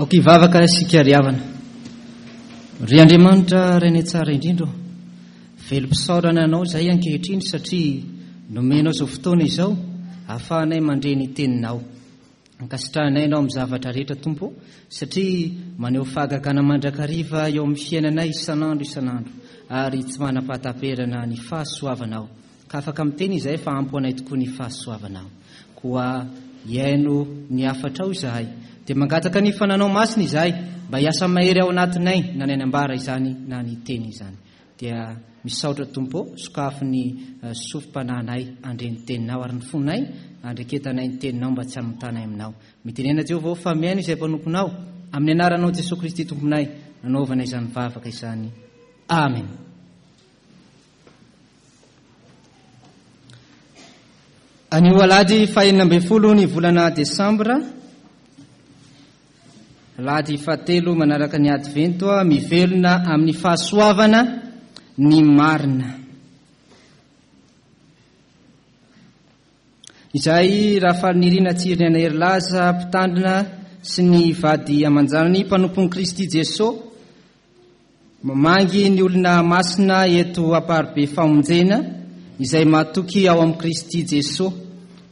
Aoka hivavaka isika ry havana. Ry Andriamanitra Rainay tsara indrindra ô, velom-pisaorana Anao izahay ankehitriny satria nomenao izao fotoana izao ahafahanay mandre ny Teninao. Ankasitrahanay Ianao amin'ny zavatra rehetra Tompo ô, satria maneho fahagagana mandrakariva eo amin'ny fiainanay isan'andro isan'andro ary tsy manam-pahataperana ny fahasoavanao. Ka afaka miteny izahay fa ampy ho anay tokoa ny fahasoavanao. Koa hihaino ny hafatrao izahay. Dia mangataka ny fananao masina izahay mba hiasa mahery ao anatinay na ny anambara izany na ny teny izany. Dia misaotra Tompo ô, sokafy ny sofim-panahinay handre ny teninao ary ny fonay handreketanay ny teninao mba tsy hanotanay aminao. Mitenena Jehovah ô fa mihaino izay mpanomponao. Amin'ny anaranao Jesoa Kristy Tomponay nanaovana izany vavaka izany. Amen. Anio alahady fahenina ambin'ny folo ny volana desambra, alahady fahatelo manaraka ny advento, mivelona amin'ny fahasoavana ny marina. Izay Rafalinirina Tsiriniaina Herilaza, mpitandrina sy ny vady aman-janany, mpanompon'i Kristy Jesoa, Mamangy ny olona masina eto Amparibe Famonjena izay matoky ao amin'i Kristy Jesoa.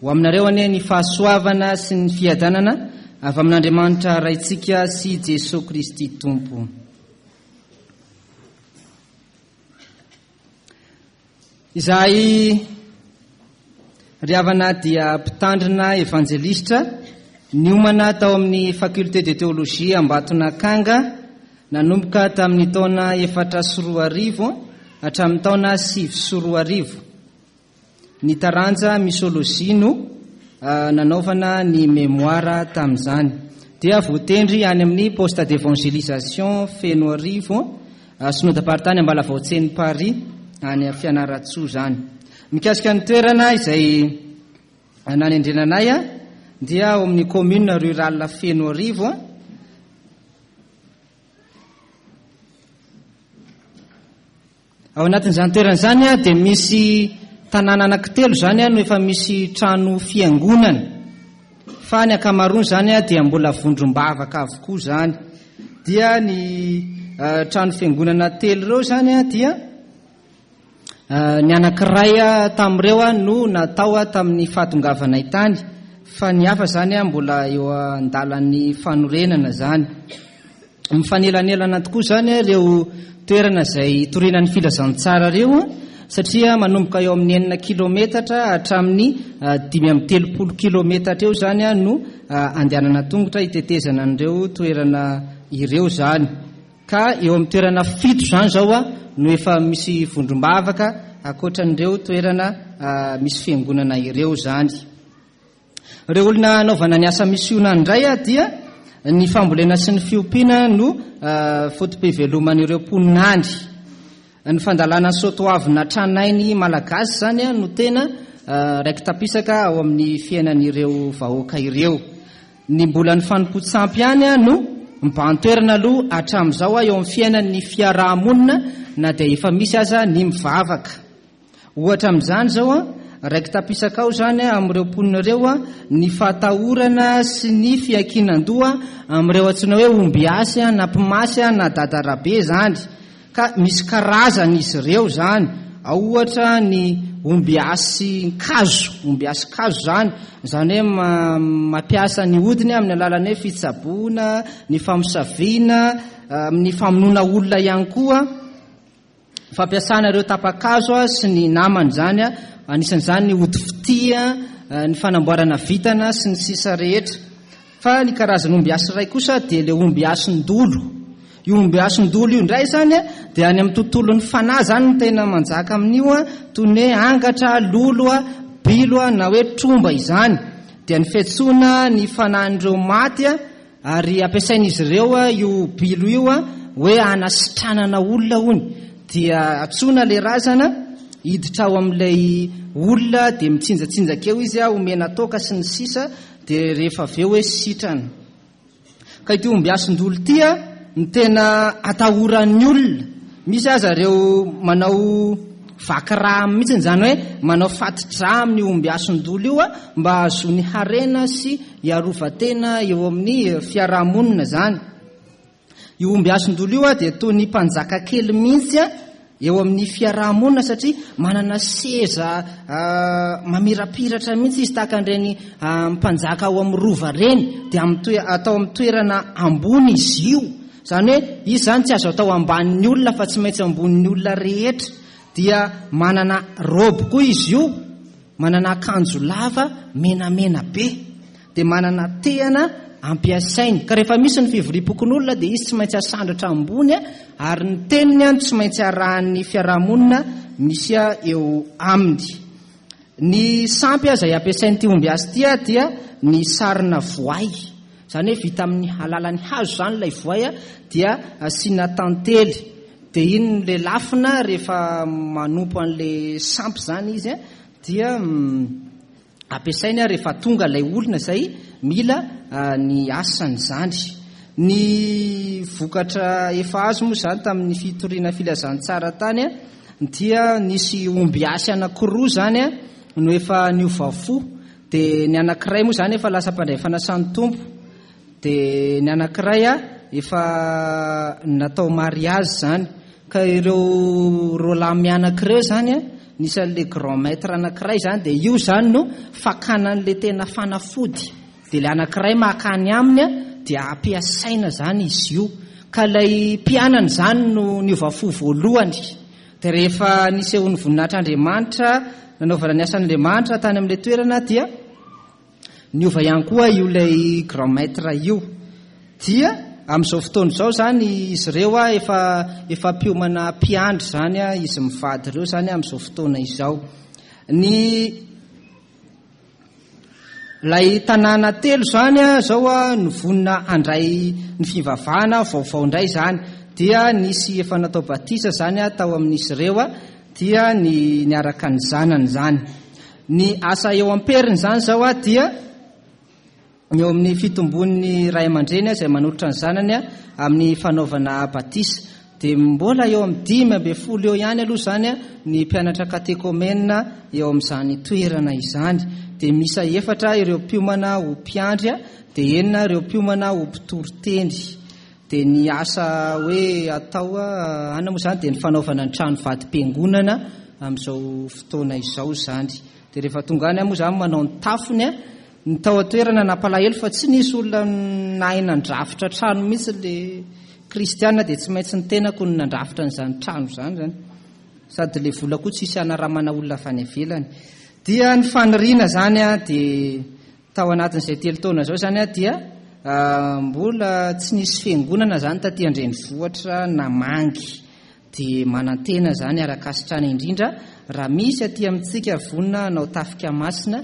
Ho aminareo anie ny fahasoavana sy ny fiadanana avy amin'Andriamanitra Raintsika sy Jesoa Kristy Tompo. Izahay ry havana dia mpitandrina evanjelistra niomana tao amin'ny Faculté de Théologie Ambatonakanga nanomboka tamin'ny taona 2004 hatramin'ny taona 2009. Ny taranja Misologie no nanaovana ny mémoire tamin'izany. Dia voatendry any amin'ny Poste d'Evangelisation Fenoarivo, Synodam-paritany Ambalavao-Tseny Paris, any Fianarantsoa izany. Mikasika ny toerana izay nanendrena anay dia ao amin'ny commune rurale Fenoarivo. Ao anatin'izany toerana izany dia misy tanàna anankitelo izany no efa misy trano fiangonana, fa ny ankamaroany izany dia mbola vondrom-bavaka avokoa izany. Dia ny trano fiangonana telo ireo izany dia ny anankiray tamin'ireo no natao tamin'ny fahatongavanay tany, fa ny hafa izany mbola eo an-dalan'ny fanorenana izany. Mifanelanelana tokoa izany ireo toerana izay hitoriana ny filazantsara ireo satria manomboka eo amin'ny enina kilometatra hatramin'ny 35 kilometatra eo izany no andehanana tongotra hitetezana an'ireo toerana ireo izany. Ka eo amin'ny toerana fito izany izao no efa misy vondrom-bavaka ankoatran'ireo toerana misy fiangonana ireo izany. Ireo olona hanaovana ny asa misiona indray dia ny fambolena sy ny fiompiana no foto-piveloman'ireo mponina any. Ny fandalana ny soatoavina tranainy malagasy izany no tena raiki-tapisaka ao amin'ny fiainan'ireo vahoaka ireo. Ny mbola ny fanompoan-tsampy ihany no mibahan-toerana aloha hatramin'izao eo amin'ny fiainan'ny fiaraha-monina na dia efa misy aza ny mivavaka. Ohatra amin'izany izao, raiki-tapisaka ao izany amin'ireo mponina ireo ny fahatahorana sy ny fiankinan-doha amin'ireo antsoina hoe ombiasy na mpimasy na dadarabe izany. Ka misy karazany izy ireo izany. Ao ohatra ny ombiasin-kazo, ombiasin-kazo izany, izany hoe mampiasa ny hodiny amin'ny alalan'ny hoe fitsaboana, ny famosaviana, amin'ny famonoana olona ihany koa. Fampiasana ireo tapa-kazo sy ny namany izany, anisan'izany ny ody fitia, ny fanamboarana vintana sy ny sisa rehetra. Fa ny karazan'ombiasy iray kosa dia ilay ombiasin-dolo. Io ombiasin-dolo io indray izany dia any amin'ny tontolon'ny fanahy izany no tena manjaka amin'io, toy ny hoe angatra, lolo, bilo na hoe tromba izany. Dia ny fiantsoana ny fanahin'ireo maty Ary ampiasain'izy ireo io bilo io hoe hanasitranana olona hono. Dia antsoina ilay razana hiditra ao amin'ilay olona dia mitsinjatsinjaka eo izy, omena toaka sy ny sisa dia rehefa avy eo hoe sitrana. Ka ity ombiasin-dolo ity no tena atahoran'ny olona. Misy aza ireo manao. Vaky rà mihitsy izany hoe manao fati-drà amin'io ombiasondolo io mba hahazoany harena sy hiarovan-tena eo amin'ny fiarahamonina izany. Io ombiasondolo io dia toy ny mpanjaka kely mihitsy eo amin'ny fiarahamonina satria manana seza mamirapiratra mihitsy izy tahaka an'ireny mpanjaka ao amin'ny rova ireny dia amin'ny atao amin'ny toerana ambony izy io. Izany hoe izy izany tsy azo atao ambanin'ny olona fa tsy maintsy ambonin'ny olona rehetra. Dia manana robe koa izy io, manana akanjo lava menamena be. Dia manana tehana ampiasainy. Ka rehefa misy ny fivoriam-pokonolona dia izy tsy maintsy asandratra ambony ary ny teniny no tsy maintsy arahan'ny fiarahamonina misy eo aminy. Ny sampy izay ampiasain'ity ombiasy ity dia ny sarina voay. Izany hoe vita amin'ny alalan'ny hazo izany ilay voay dia asiana tantely. Dia iny no lelafina rehefa manompo an'ilay sampy izany izy dia ampiasainy rehefa tonga ilay olona izay mila ny asany izany. Ny vokatra efa azo moa izany tamin'ny fitoriana filazantsara tany dia nisy ombiasy anankiroa izany no efa niova fo. Dia ny anankiray moa izany efa lasa mpandray fanasan'ny Tompo. Dia ny anankiray efa natao mariazy izany. Ka ireo roalahy mianaka ireo izany, nisy an'ilay grand maître anankiray izany, dia io izany no fakana an'ilay tena fanafody. Dia ilay anankiray maka any aminy dia ampiasaina izany izy io. Ka ilay mpianany izany no niova fo voalohany. Dia rehefa nisehoan'ny voninahitr'Andriamanitra, nanaovana ny asan'Andriamanitra tany amin'ilay toerana dia niova ihany koa io ilay grand maître io. Dia amin'izao fotoana izao izany izy ireo efa efa mpiomana mpiandry izany izy mivady ireo izany amin'izao fotoana izao. Ny Ilay tanàna telo izany izao no vonona handray ny fivavahana vaovao indray izany. Dia nisy efa natao batisa izany tao amin'izy ireo, dia ny niaraka ny zanany izany. Ny asa eo am-periny izany izao dia Ny eo amin'ny fitombon'ny ray aman-dreny izay manolotra ny zanany amin'ny fanaovana batisa. Dia mbola eo amin'ny 15 eo ihany aloha izany ny mpianatra katekomena eo amin'izany toerana izany. Dia miisa efatra ireo mpiomana ho mpiandry, dia enina ireo mpiomana ho mpitory teny. Dia ny asa hoe atao any moa izany dia ny fanaovana ny trano vadim-piangonana amin'izao fotoana izao izany. Dia rehefa tonga any aho moa izany manao ny tafony, Ny tao an-toerana nampalahelo fa tsy nisy olona nahay nandrafitra trano mihitsy le kristiana dia tsy maintsy ny tenako no nandrafitra an'izany trano izany zany. Sady le vola koa tsisy hanaramana olona avy any ivelany. Dia ny faniriana zany a dia tao anatin'izay telo taona izao zany a dia mbola tsy nisy fiangonana zany taty an-drenivohitra namangy. Dia manantena izany ara-kasitrana indrindra raha misy aty amintsika vonona hanao tafika masina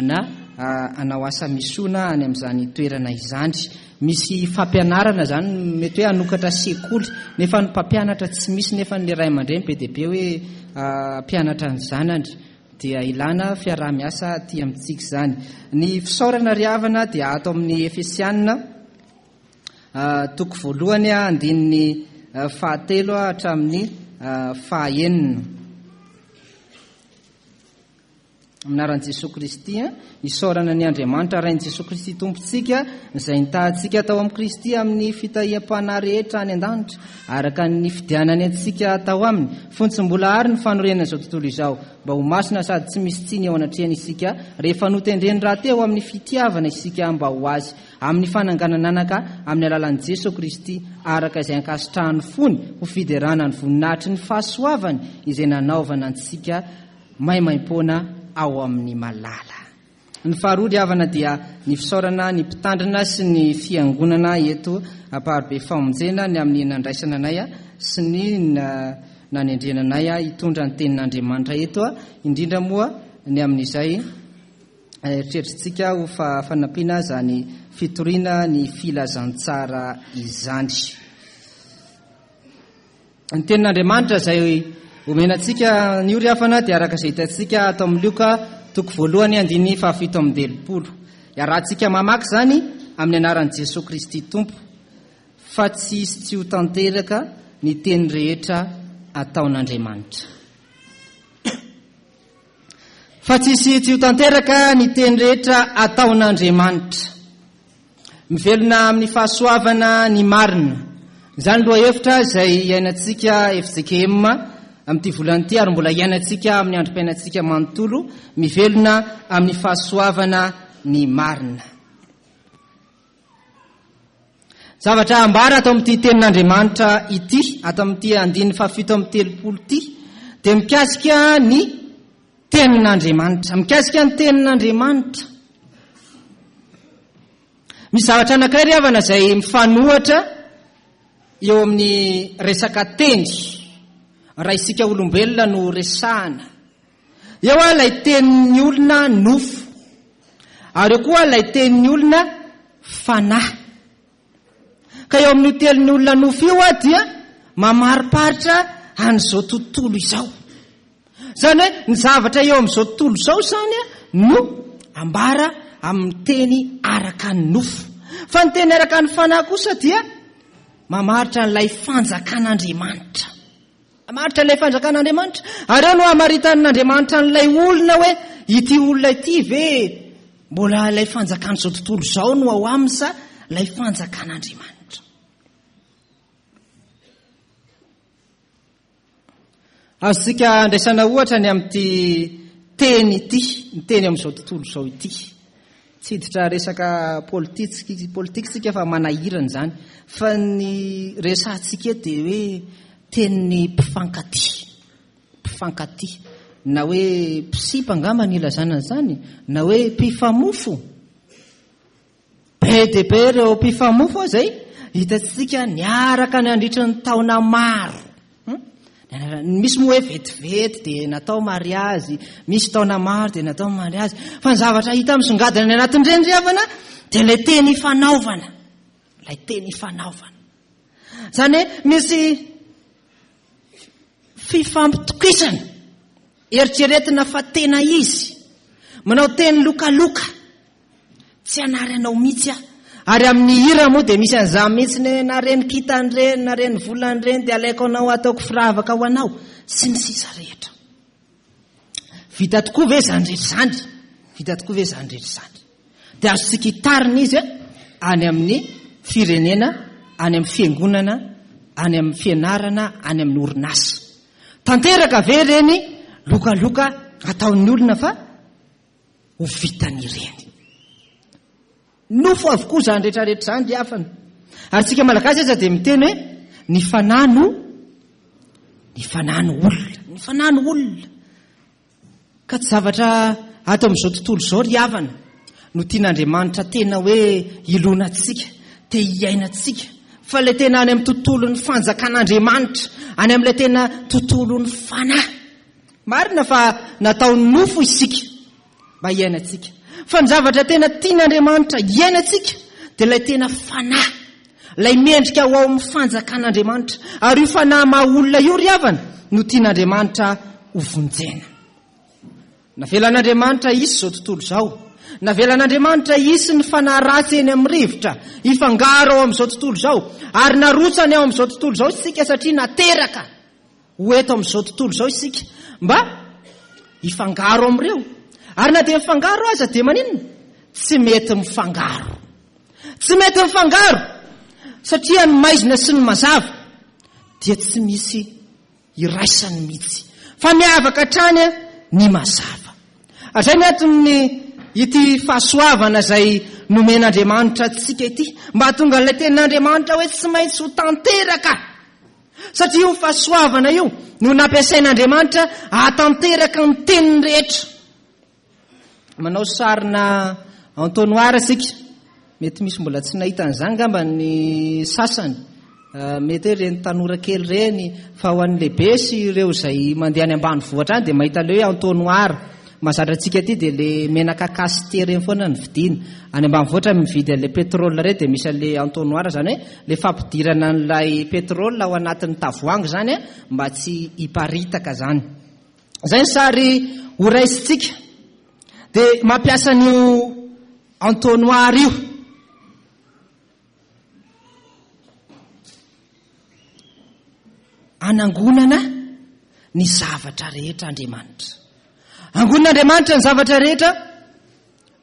na hanao asa misona any amin'izany toerana izany. Misy fampianarana izany mety hoe hanokatra sekoly nefa ny mpampianatra tsy misy nefa ny ray aman-dreny be dia be hoe hampianatra ny zanany. Dia ilana fiaraha-miasa aty amintsika izany. Ny fisaorana ry havana dia ato amin'ny Efesiana. Toko voalohany andininy fahatelo hatramin'ny fahaenina. Amin'ny anaran'i Jesoa Kristy, isaorana ny Andriamanitra Rain'i Jesoa Kristy Tompontsika, izay nitahantsika tao amin'i Kristy amin'ny fitahiam-panahy rehetra any an-danitra, araka ny nifidianany antsika tao aminy, fony tsy mbola àry ny fanorenana izao tontolo izao, mba ho masina sady tsy misy tsiny eo anatrehany isika, rehefa notendreny rahateo amin'ny fitiavana isika mba ho Azy, amin'ny fananganan'anaka amin'ny alalan'i Jesoa Kristy araka izay ankasitrahan'ny fony ho fiderana ny voninahitry ny fahasoavany izay nanaovana antsika maimaimpoana ao amin'ny malala. Ny faharoa ry havana dia ny fisaorana ny mpitandrina sy ny fiangonana eto Amparibe Famonjena ny amin'ny nandraisana anay sy ny nanendrena anay hitondra ny tenin'Andriamanitra eto, indrindra moa ny amin'izay Eritreritritsika ho fanampiana izany fitoriana ny filazantsara izany. Ny tenin'Andriamanitra izay omena antsika anio ry havana dia araka izay hitantsika ato amin'ny Lioka toko voalohany andininy fahafito amby telopolo. Iarahantsika mamaky izany amin'ny anaran'i Jesoa Kristy Tompo fa tsy hisy tsy ho tanteraka ny teny rehetra ataon'Andriamanitra. Fa tsisy tsy ho tanteraka ny teny rehetra ataon'Andriamanitra. Mivelona amin'ny fahasoavana ny marina. Izany lohahevitra izay iainantsika fjkm amin'ity volana ity ary mbola iainantsika amin'ny androm-piainantsika manontolo, mivelona amin'ny fahasoavana ny marina. Zavatra ambara ato amin'ity tenin'Andriamanitra ity, ato amin'ity andininy fahafito amby telopolo ity, dia mikasika ny tenin'Andriamanitra. Mikasika ny tenin'Andriamanitra. Misy zavatra anankiray ry havana izay mifanohatra eo amin'ny resaka teny, raha isika olombelona no resahana. Eo ilay tenin'ny olona nofo, ary eo koa ilay tenin'ny olona fanahy. Ka eo amin'io tenin'ny olona nofo io dia mamariparitra an'izao tontolo izao. Izany hoe ny zavatra eo amin'izao tontolo izao izany no ambara amin'ny teny araka ny nofo. Fa ny teny araka ny fanahy kosa dia mamaritra an'ilay fanjakan'Andriamanitra. Mamaritra ilay fanjakan'Andriamanitra. Ary eo no hamaritan'Andriamanitra an'ilay olona hoe ity olona ity ve mbola ilay fanjakan'izao tontolo izao no ao aminy sa ilay fanjakan'Andriamanitra. Azontsika andraisana ohatra ny amin'ity teny ity, ny teny amin'izao tontolo izao ity. Tsy hiditra resaka politique politique tsika fa manahirana izany. Fa ny resahantsika eto dia hoe tenin'ny mpifankatia. Mpifankatia. Na hoe mpisipa angamba ny ilazana an'izany, na hoe mpifamofo. Be dia be ireo mpifamofo izay hitantsika niaraka nandritra ny taona maro. Hmm? Misy moa hoe vetivety dia natao mariazy, misy taona maro dia natao mariazy. Fa ny zavatra hita misongadina any anatin'ireny ry havana dia ilay teny ifanaovana. Ilay teny ifanaovana. Izany hoe misy fifampitokisana, eritreretina fa tena izy, manao teny lokaloka. Tsy hanary anao mihitsy aho. Ary amin'ny hira moa dia misy an'izany mihitsy ny hoe na reny kintana ireny, na reny volana ireny dia alaiko anao ataoko firavaka ho anao, sy ny sisa rehetra. Vita tokoa ve izany rehetra izany? Vita tokoa ve izany rehetra izany? Dia azontsika hitarina izy any amin'ny firenena, any amin'ny fiangonana, any amin'ny fianarana, any amin'ny orinasa. Tanteraka ve ireny lokaloka ataon'ny olona fa ho vitany ireny. Nofo avokoa izany rehetra rehetra izany ry havana. Ary tsika malagasy aza dia miteny hoe ny fanahy no ny fanahy no olona, ny fanahy no olona. Ka tsy zavatra ato amin'izao tontolo izao ry havana no tian'Andriamanitra tena hoe hilonantsika, te hiainantsika, fa ilay tena any amin'ny tontolon'ny fanjakan'Andriamanitra, any amin'ilay tena tontolon'ny fanahy. Marina fa natao nofo isika mba hiainantsika. Fa ny zavatra tena tian'Andriamanitra hiainantsika dia ilay tena fanahy, ilay mendrika ho ao amin'ny fanjakan'Andriamanitra. Ary io fanahy maha olona io ry havana no tian'Andriamanitra ho vonjena. Navelan'Andriamanitra hisy izao tontolo izao. Navelan'Andriamanitra hisy ny fanahy ratsy eny amin'ny rivotra, hifangaro ao amin'izao tontolo izao. Ary narotsany ao amin'izao tontolo izao isika satria nateraka. Ho eto amin'izao tontolo izao isika mba hifangaro amin'ireo. Ary na dia mifangaro aza dia maninona? Tsy mety mifangaro. Tsy mety mifangaro satria ny maizina sy ny mazava dia tsy misy iraisany mihitsy. Fa miavaka hatrany ny mazava. Ary izay ny anton'ny ity fahasoavana izay nomen'Andriamanitra antsika ity, mba hahatonga an'ilay tenin'Andriamanitra hoe tsy maintsy ho tanteraka. Satria io fahasoavana io no nampiasain'Andriamanitra hahatanteraka ny teniny rehetra. Manao sarina entonnoir isika. Mety misy mbola tsy nahita an'izany angamba ny sasany. Ah, mety hoe ireny tanora kely ireny, fa ho an'ny lehibe sy ireo izay mandeha any ambanivohitra any dia mahita ilay hoe entonnoir. Mahazatra antsika aty dia le menaka cassité ireny foana no vidiana. Any ambanivohitra mividy an'ilay pétrole ireny dia misy an'ilay entonnoir, izany hoe ilay fampidirana an'ilay pétrole ao anatin'ny tavoahangy izany mba tsy hiparitaka izany. Izay ny sary horaisintsika. Dia mampiasa an'io entonnoir io. Anangonana ny zavatra rehetra Andriamanitra. Angonin'Andriamanitra ny zavatra rehetra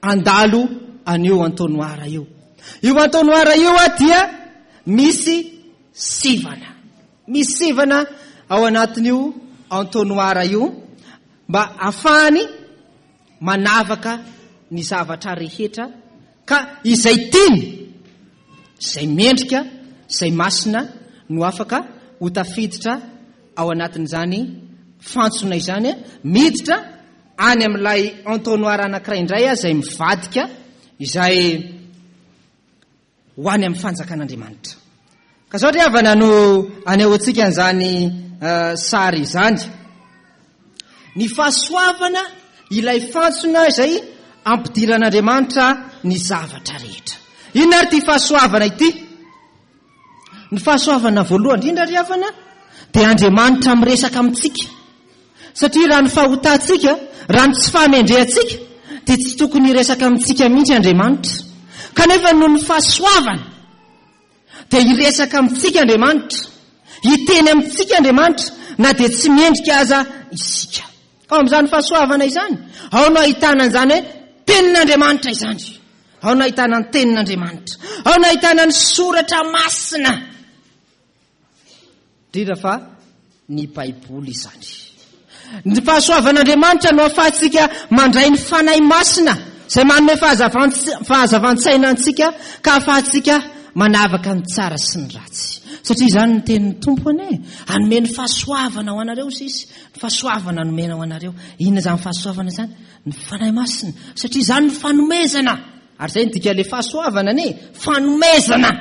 handalo an'io entonnoir io. Io entonnoir io dia misy sivana. Misy sivana ao anatin'io entonnoir io mba hahafahany manavaka ny zavatra rehetra ka izay tiany, izay mendrika, izay masina no afaka ho tafiditra ao anatin'izany fantsona izany, miditra any amin'ilay entonnoir anankiray indray izay mivadika izay ho any amin'ny fanjakan'Andriamanitra. Ka izao ry havana no anehoantsika an'izany sary izany. Ny fahasoavana ilay fantsona izay ampidiran'Andriamanitra ny zavatra rehetra. Inona ary ity fahasoavana ity? Ny fahasoavana voalohany indrindra ry havana dia Andriamanitra miresaka amintsika. Satria raha ny fahotantsika, raha ny tsy fahamendrehantsika dia tsy tokony hiresaka amintsika mihitsy Andriamanitra. Kanefa noho ny fahasoavana dia hiresaka amintsika Andriamanitra, hiteny amintsika Andriamanitra na dia tsy mendrika aza isika. Ao amin'izany fahasoavana izany, ao no ahitana an'izany hoe tenin'Andriamanitra izany. Ao no ahitana ny tenin'Andriamanitra. Ao no ahitana ny soratra masina. Indrindra fa ny Baiboly izany. Ny fahasoavan'Andriamanitra no ahafahantsika mandray ny Fanahy Masina izay manome fahazavan-tsaina antsika ka ahafahantsika manavaka ny tsara sy ny ratsy. Satria izany ny tenin'ny Tompo anie. Hanome ny fahasoavana ho anareo sisy. Ny fahasoavana nomena ho anareo. Inona izany fahasoavana izany? Ny Fanahy Masina. Satria izany ny fanomezana. Ary izay ny dikan'ilay fahasoavana anie. Fanomezana.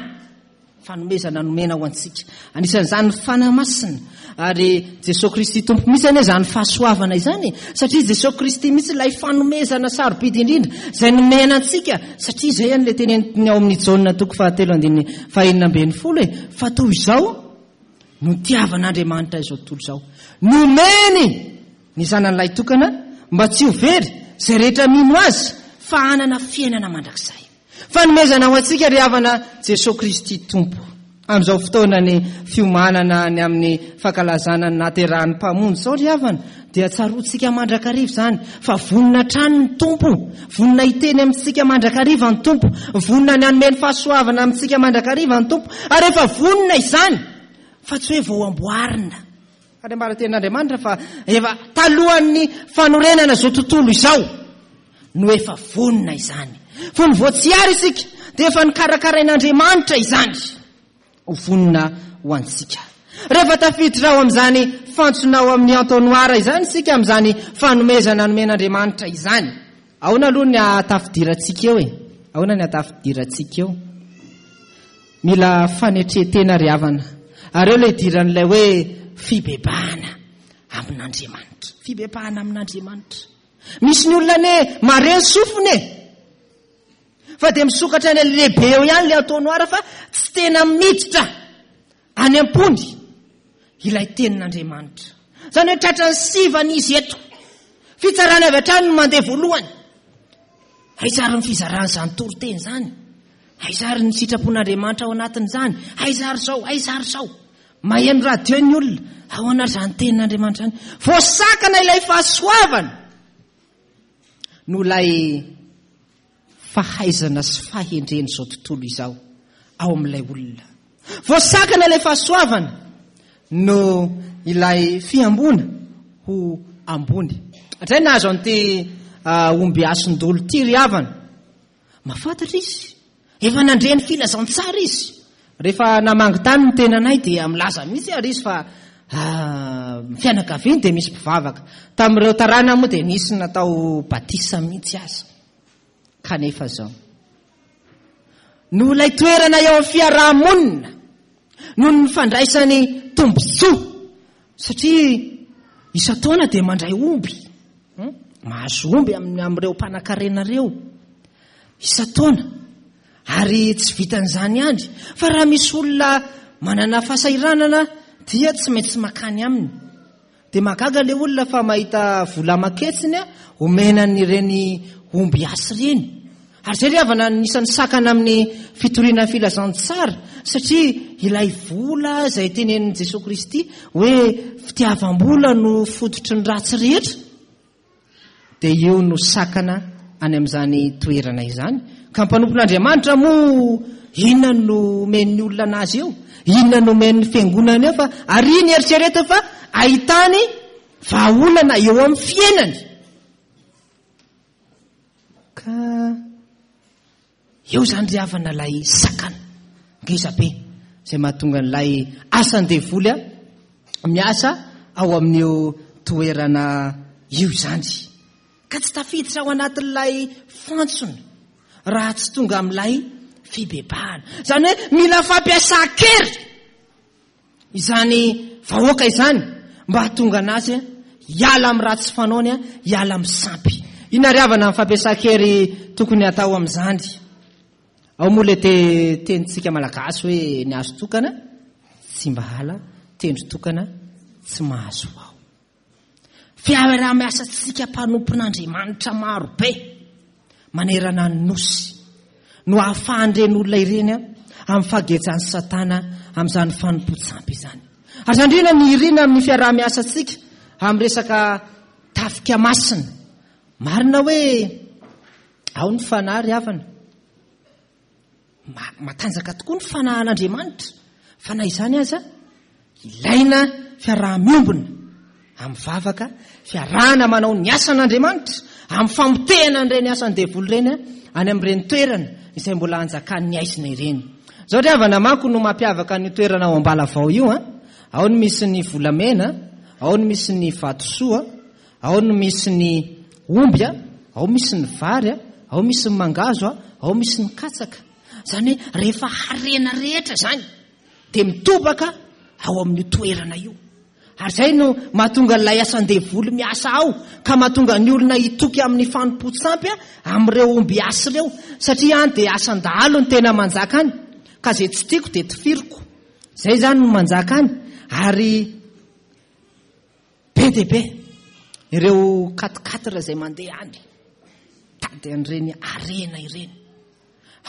Fanomezana nomena ho antsika. Anisan'izany ny Fanahy Masina. Ary Jesoa Kristy Tompo mihitsy anie izany fahasoavana izany e. Satria Jesoa Kristy mihitsy ilay fanomezana sarobidy indrindra izay nomena antsika. Satria izay anie ilay teneniny ao amin'ny Jaona toko fahatelo andininy fahenina ambin'ny folo e. Fa toy izao no nitiavan'Andriamanitra izao tontolo izao. Nomeny ny Zanany lahitokana mba tsy ho very izay rehetra mino Azy fa hanana fiainana mandrakizay. Fanomezana ho antsika ry havana Jesoa Kristy Tompo. Amin'izao fotoanan'ny fiomanana ny amin'ny fankalazana ny nahaterahan'ny Mpamonjy izao ry havana dia tsaroantsika mandrakariva izany fa vonona hatrany ny Tompo, vonona hiteny amintsika mandrakariva ny Tompo, vonona ny hanome ny fahasoavana amintsika mandrakariva ny Tompo ary efa vonona izany fa tsy hoe vao amboarina. Ary ambara tenin'Andriamanitra fa efa talohan'ny fanorenana izao tontolo izao no efa vonona izany. Fony vao tsy ary isika dia efa nokarakarain'Andriamanitra izany ho vonona ho antsika. Rehefa tafiditra ao amin'izany fantsona ao amin'ny entonnoir izany isika amin'izany fanomezana nomen'Andriamanitra izany. Ahoana aloha ny hahatafidirantsika eo e? Ahoana ny hahatafidirantsika eo? Mila fanetren-tena ry havana. Ary eo ilay idiran'ilay hoe fibebahana amin'Andriamanitra. Fibebahana amin'Andriamanitra. Misy ny olona anie mare ny sofiny e. Fa dia misokatra any lehibe eo ihany ilay entonnoir fa tsy tena miditra any am-pony ilay tenin'Andriamanitra. Izany hoe tratran'ny sivana izy eto. Fitsarana avy hatrany no mandeha voalohany. Aiza ary ny fizaran'izany toriteny izany? Aiza ary ny sitrapon'Andriamanitra ao anatin'izany? Aiza ary izao? Aiza ary izao? Maheno radio ny olona. Ahoana ary izany tenin'Andriamanitra izany? Voasakana ilay fahasoavana noho ilay fahaizana sy fahendren'izao tontolo izao ao amin'ilay olona. Voasakana ilay fahasoavana no ilay fihamboana ho ambony. Hatrizay nahazo an'ity ah, omby asindolo ity ry havana. Mahafantatra izy. Efa nandre ny filazantsara izy. Rehefa namangy tany ny tenanay dia milaza mihitsy ary izy fa ah, ny fianakaviany dia misy mpivavaka. Tamin'ireo taranany moa dia nisy natao batisa mihitsy aza. Kanefa izao. Noho ilay toerana eo amin'ny fiaraha-monina, noho ny fandraisany tombontsoa, satria isan-taona dia mandray omby, hmm? mahazo omby amin'ny amin'ireo mpanankarena ireo isan-taona. Ary tsy vitan'izany ihany, fa raha misy olona manana fahasahiranana dia tsy maintsy makany aminy. Dia mahagaga ilay olona fa mahita vola aman-ketsiny omena an'ireny omby hasy ireny. Ary izay ry havana anisan'ny sakana amin'ny fitoriana ny filazantsara satria ilay vola izay tenenin'i Jesoa Kristy hoe fitiavam-bola no fototry ny ratsy rehetra. Dia io no sakana any amin'izany toerana izany. Ka mpanompon'Andriamanitra moa inona no omen'ny olona anazy eo? Inona no omen'ny fiangonana eo fa ary ny eritreretiny fa ahitany vahaolana eo amin'ny fiainany. Ka eo izany ry havana ilay sakana ngeza be izay mahatonga an'ilay asan-devoly miasa ao amin'io toerana io izany. Ka tsy tafiditra ao anatin'ilay fantsona raha tsy tonga amin'ilay fibebahana. Izany hoe mila fampiasan-kery. Izany vahoaka izany mba hahatonga anazy hiala amin'ny ratsy fanaony, hiala amin'ny sampy. Inona ry havana ny fampiasan-kery tokony hatao amin'izany? Ao moa ilay te tenintsika malagasy hoe ny hazo tokana tsy mba hala, tendro tokana tsy mahazo ao. Fiaraha-miasantsika mpanompon'Andriamanitra maro be manerana ny Nosy no ahafahan'ireny olona ireny amin'ny fahagejan'i Satana amin'izany fanompoan-tsampy izany. Aza andriana ny irina amin'ny fiaraha-miasantsika amin'ny resaka tafika masina. Marina hoe ao ny fanahy ry havana. Matanjaka tokoa ny fanahin'Andriamanitra, fa na izany aza, ilaina fiaraha-miombona amin'ny vavaka, fiarahana manao ny asan'Andriamanitra, amin'ny famotehana an'ireny asan'ny devoly ireny any amin'ireny toerana izay mbola anjakan'ny aizina ireny. Izao ry havana manko no mampiavaka an'io toerana ao Ambalavao io an, ao no misy ny volamena, ao no misy ny vatosoa, Ao no misy ny omby a, ao misy ny vary a, ao misy ny mangahazo a, ao misy ny katsaka. Izany hoe rehefa harena rehetra izany dia mitobaka ao amin'io toerana io. Ary izay no mahatonga ilay asan-devoly miasa ao ka mahatonga ny olona hitoky amin'ny fanompoan-tsampy amin'ireo ombiasy ireo. Satria any dia asan-dahalo no tena manjaka any. Ka izay tsy tiako dia tifiriko. Izay izany no manjaka any. Ary Be dia be ireo quatre-quatre izay mandeha any, mitady an'ireny harena ireny.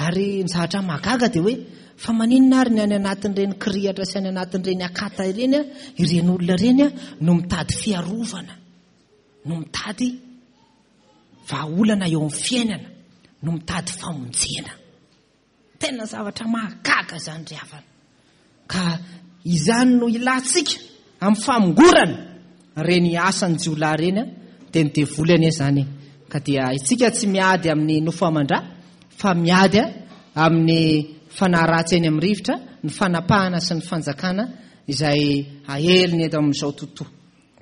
Ary ny zavatra mahagaga dia hoe fa maninona ary ny any anatin'ireny kirihatra sy any anatin'ireny akata ireny, ireny olona ireny no mitady fiarovana, no mitady vahaolana eo amin'ny fiainana, no mitady famonjena. Tena zavatra mahagaga izany ry havana. Ka izany no ilantsika amin'ny famongorana ireny asan'ny jiolahy ireny, dia ny devoly anie izany e. Ka dia isika tsy miady amin'ny nofo aman-dra fa miady amin'ny fanahy ratsy eny amin'ny rivotra, ny fanapahana sy ny fanjakana izay aheliny eto amin'izao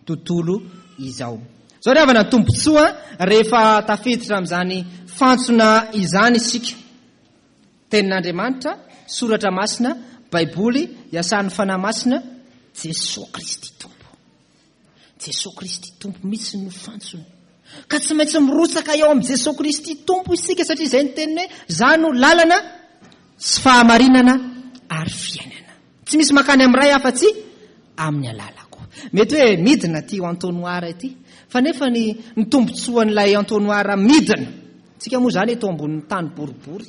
tontolo izao. Izao ry havana ny tombontsoa rehefa tafiditra amin'izany fantsona izany isika. Tenin'Andriamanitra, Soratra Masina, Baiboly, iasan'ny Fanahy Masina, Jesoa Kristy Tompo. Jesoa Kristy Tompo mihitsy no fantsona. Ka tsy maintsy mirotsaka eo amin'i Jesoa Kristy Tompo isika satria izay ny teniny hoe za no lalana sy fahamarinana ary fiainana. Tsy misy makany amin'ny Ray afa-tsy amin'ny alalako. Mety hoe midina ity entonnoir ity, fa nefa ny ny tombontsoan'ilay entonnoir midina. Tsika moa izany eto ambonin'ny tany boribory.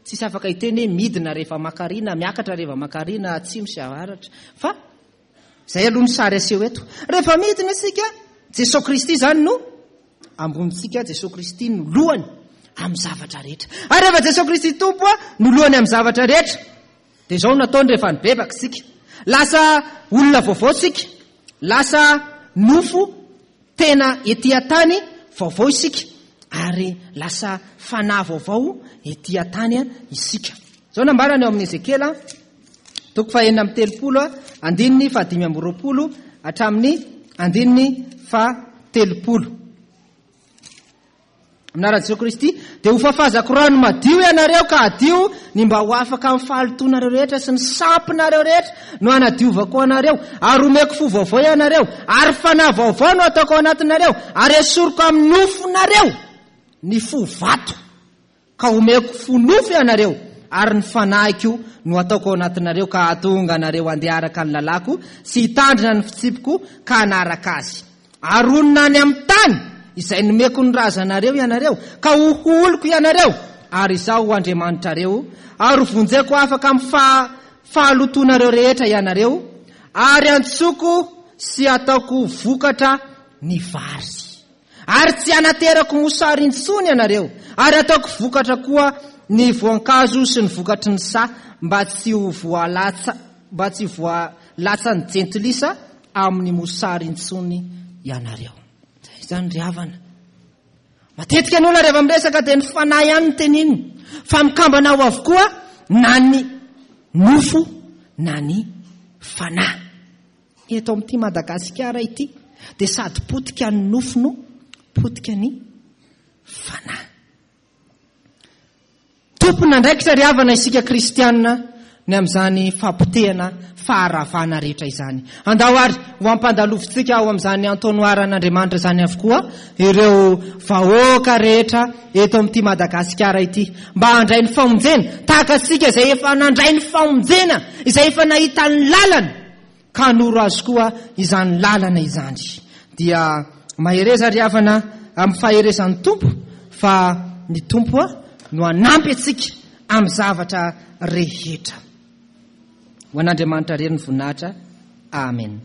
Tsisy afaka hiteny hoe midina rehefa makary na miakatra rehefa makary na atsimo sy avaratra. Fa izay aloha ny sary aseho eto. Rehefa midina isika, Jesoa Kristy izany no ambonintsika, Jesoa Kristy no lohany amin'ny zavatra rehetra. Ary rehefa Jesoa Kristy Tompo no lohany amin'ny zavatra rehetra, Dia izao no nataony rehefa nibebaka isika. Lasa olona vaovao isika. Lasa nofo tena ety an-tany vaovao isika. Ary lasa fanahy vaovao ety an-tany isika. Izao nambarany ao amin'ny Ezekiela, toko fahenina amby telopolo, andininy fahadimy amby roapolo hatramin'ny andininy fahatelopolo. Amin'ny anaran'i Jesoa Kristy, dia ho fafazako rano madio ianareo ka hadio ny mba ho afaka amin'ny fahalotoanareo rehetra sy ny sampinareo rehetra no hanadiovako anareo, ary homeko fo vaovao ianareo, ary fanahy vaovao no hataoko ao anatinareo, ary esoriko amin'ny nofonareo ny fo vato, ka homeko fo nofo ianareo, ary ny fanahiko no hataoko ao anatinareo ka hahatonga anareo handeha araka ny lalàko sy hitandrina ny fitsipiko ka hanaraka azy. Ary honina any amin'ny tany izay nomeko ny razanareo ianareo, ka ho oloko ianareo, ary Izaho ho Andriamanitrareo, ary hovonjeko afaka amin'ny fahalotoanareo rehetra ianareo, ary hantsoiko sy hataoko vokatra ny vary. Ary tsy hanaterako mosary intsony ianareo, ary hataoko vokatra koa ny voankazo sy ny vokatry ny saha, mba tsy ho voalatsa, mba tsy ho voalatsan'ny jentilisa amin'ny mosary intsony ianareo. Izay izany ry havana. Matetika ny olona rehefa miresaka dia ny fanahy ihany no teneniny, fa mikambana ao avokoa na ny nofo na ny fanahy. Eto amin'ity Madagasikara ity dia sady potika ny nofo no potika ny fanahy. Tompon'andraikitra ry havana isika kristiana ny amin'izany fahapotehana, faharavana rehetra izany. Andao ary ho ampandalovintsika ao amin'izany antonoaran'Andriamanitra izany avokoa ireo vahoaka rehetra eto amin'ity Madagasikara ity mba handray ny famonjena tahaka antsika izay efa nandray ny famonjena, izay efa nahita ny lalana ka hanoro azy koa izany lalana izany. Dia mahereza ry havana amin'ny faherezan'ny Tompo fa ny Tompo no hanampy antsika amin'ny zavatra rehetra. Ho an'Andriamanitra irery ny voninahitra. Amen.